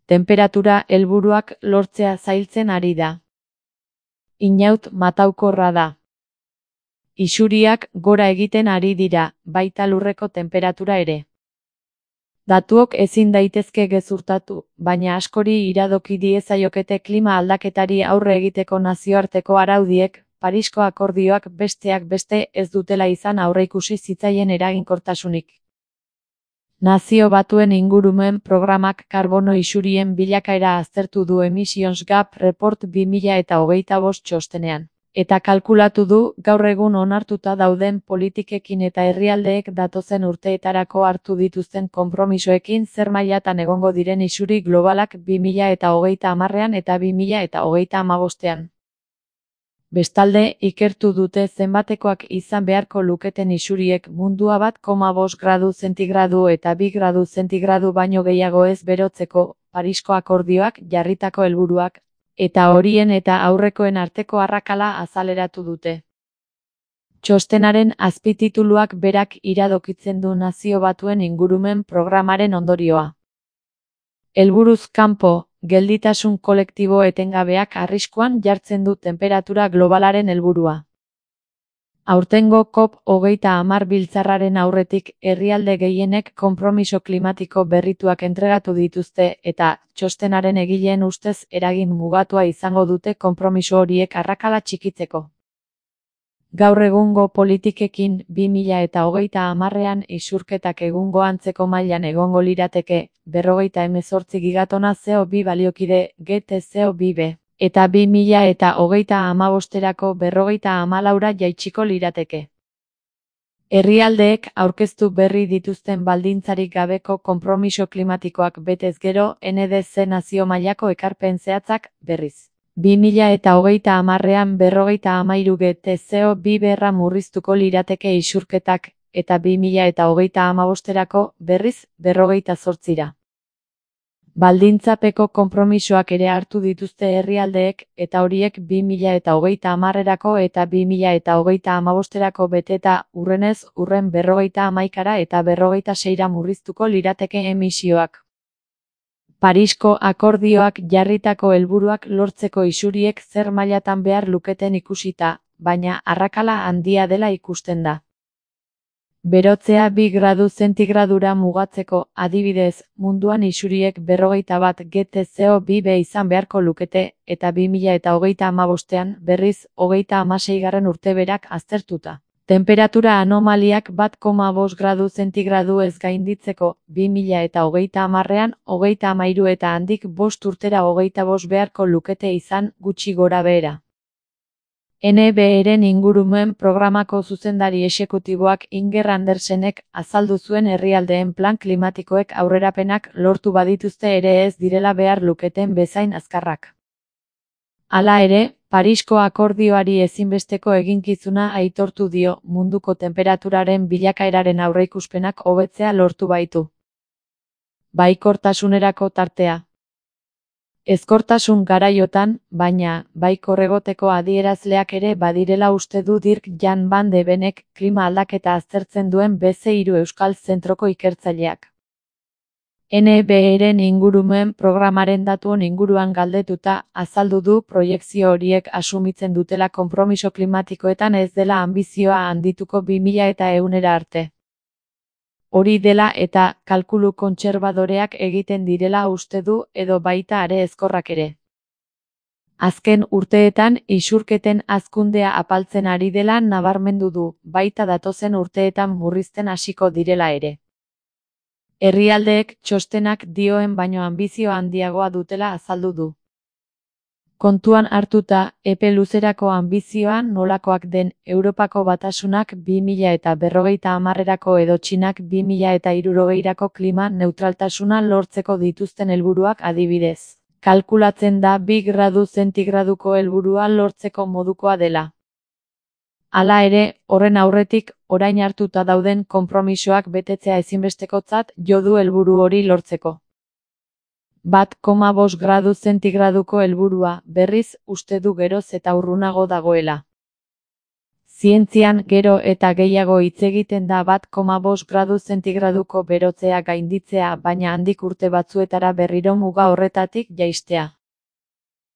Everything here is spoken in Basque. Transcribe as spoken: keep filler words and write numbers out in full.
Tenperatura helburuak lortzea zailtzen ari da. Inaut mataukorra da. Isuriak gora egiten ari dira, baita lurreko tenperatura ere. Datuok ezin daitezke gezurtatu, baina askori iradoki diezaiokete klima aldaketari aurre egiteko nazioarteko araudiek, Parisko akordioak besteak beste ez dutela izan aurreikusi zitzaien eraginkortasunik. Nazio Batuen Ingurumen Programak karbono isurien bilakaera aztertu du Emissions Gap Report bi mila hogeita bost txostenean. Eta kalkulatu du gaur egun onartuta dauden politikekin eta herrialdeek datozen urteetarako hartu dituzten konpromisoekin zer mailatan egongo diren isuri globalak bi mila hogeita hamarrean eta bi mila hogeita hamabostean. Bestalde, ikertu dute zenbatekoak izan beharko luketen isuriek mundua bat koma bost gradu zentigradu eta bi gradu zentigradu baino gehiago ez berotzeko, Parisko akordioak jarritako helburuak, eta horien eta aurrekoen arteko arrakala azaleratu dute. Txostenaren azpitituluak berak iradokitzen du Nazio Batuen Ingurumen Programaren ondorioa. Helburuz kanpo, gelditasun kolektibo etengabeak arriskuan jartzen du tenperatura globalaren helburua. Aurtengo COP hogeita hamar biltzarraren aurretik herrialde gehienek konpromiso klimatiko berrituak entregatu dituzte eta txostenaren egileen ustez eragin mugatua izango dute konpromiso horiek arrakala txikitzeko. Gaur egungo politikekin bi mila hogeita hamarrean isurketak egungo antzeko mailan egongo lirateke, berrogeita hemezortzi gigatona C O bi baliokide G T C O bi B, eta bi mila hogeita hamabosterako berrogeita hamalaura jaitsiko lirateke. Herrialdeek aurkeztu berri dituzten baldintzarik gabeko konpromiso klimatikoak betez gero N D C nazio mailako ekarpen zehatzak, berriz. bi mila hogeita hamarrean berrogeita hamairu G T C O bi berra murriztuko lirateke isurketak, eta bi mila hogeita hamabosterako, berriz, berrogeita zortzira. Baldintzapeko konpromisoak ere hartu dituzte herrialdeek, eta horiek bi mila hogeita hamarrerako eta bi mila hogeita hamabosterako beteta, urrenez, urren berrogeita hamaikara eta berrogeita seira murriztuko lirateke emisioak. Parisko akordioak jarritako helburuak lortzeko isuriek zer mailatan behar luketen ikusita, baina arrakala handia dela ikusten da. Berotzea bi gradu zentigradura mugatzeko, adibidez, munduan isuriek berrogeita bat G T C O bi B izan beharko lukete, eta bi mila hogeita hamabostean, berriz, hogeita hamaseigarren urteberak aztertuta. Tenperatura anomaliak bat koma bost gradu zentigradu ez gainditzeko, bi mila hogeita hamarrean, hogeita hamairu eta handik bost urtera hogeita bost beharko lukete izan, gutxi gora behera. N B E-ren ingurumen programako zuzendari exekutiboak Inger Andersenek azaldu zuen herrialdeen plan klimatikoek aurrerapenak lortu badituzte ere ez direla behar luketen bezain azkarrak. Hala ere, Parisko akordioari ezinbesteko eginkizuna aitortu dio munduko tenperaturaren bilakaeraren aurreikuspenak hobetzea lortu baitu. Baikortasunerako tartea. Ezkortasun garaiotan, baina, baikor egoteko adierazleak ere badirela uste du Dirk Jan van de Benek klima aldaketa aztertzen duen B C hiru Euskal Zentroko ikertzaileak. N B E-ren ingurumen programaren datuen inguruan galdetuta, azaldu du proiekzio horiek asumitzen dutela konpromiso klimatikoetan ez dela anbizioa handituko bi mila ehunera arte. Hori dela eta kalkulu kontserbadoreak egiten direla uste du edo baita are ezkorrak ere. Azken urteetan isurketen hazkundea apaltzen ari dela nabarmendu du, baita datozen urteetan murrizten hasiko direla ere. Herrialdeek txostenak dioen baino anbizio handiagoa dutela azaldu du. Kontuan hartuta, epe luzerako anbizioa nolakoak den Europako Batasunak bi mila berrogeita hamarrerako edo Txinak bi mila hirurogeirako klima neutraltasuna lortzeko dituzten helburuak adibidez. Kalkulatzen da bi gradu zentigraduko helburua lortzeko modukoa dela. Hala ere, horren aurretik, orain hartuta dauden konpromisoak betetzea ezinbestekotzat jo du helburu hori lortzeko. Bat koma bost gradu zentigraduko helburua, berriz, uste du geroz eta urrunago dagoela. Zientzian gero eta gehiago hitz egiten da bat koma bost gradu zentigraduko berotzea gainditzea, baina handik urte batzuetara berriro muga horretatik jaistea.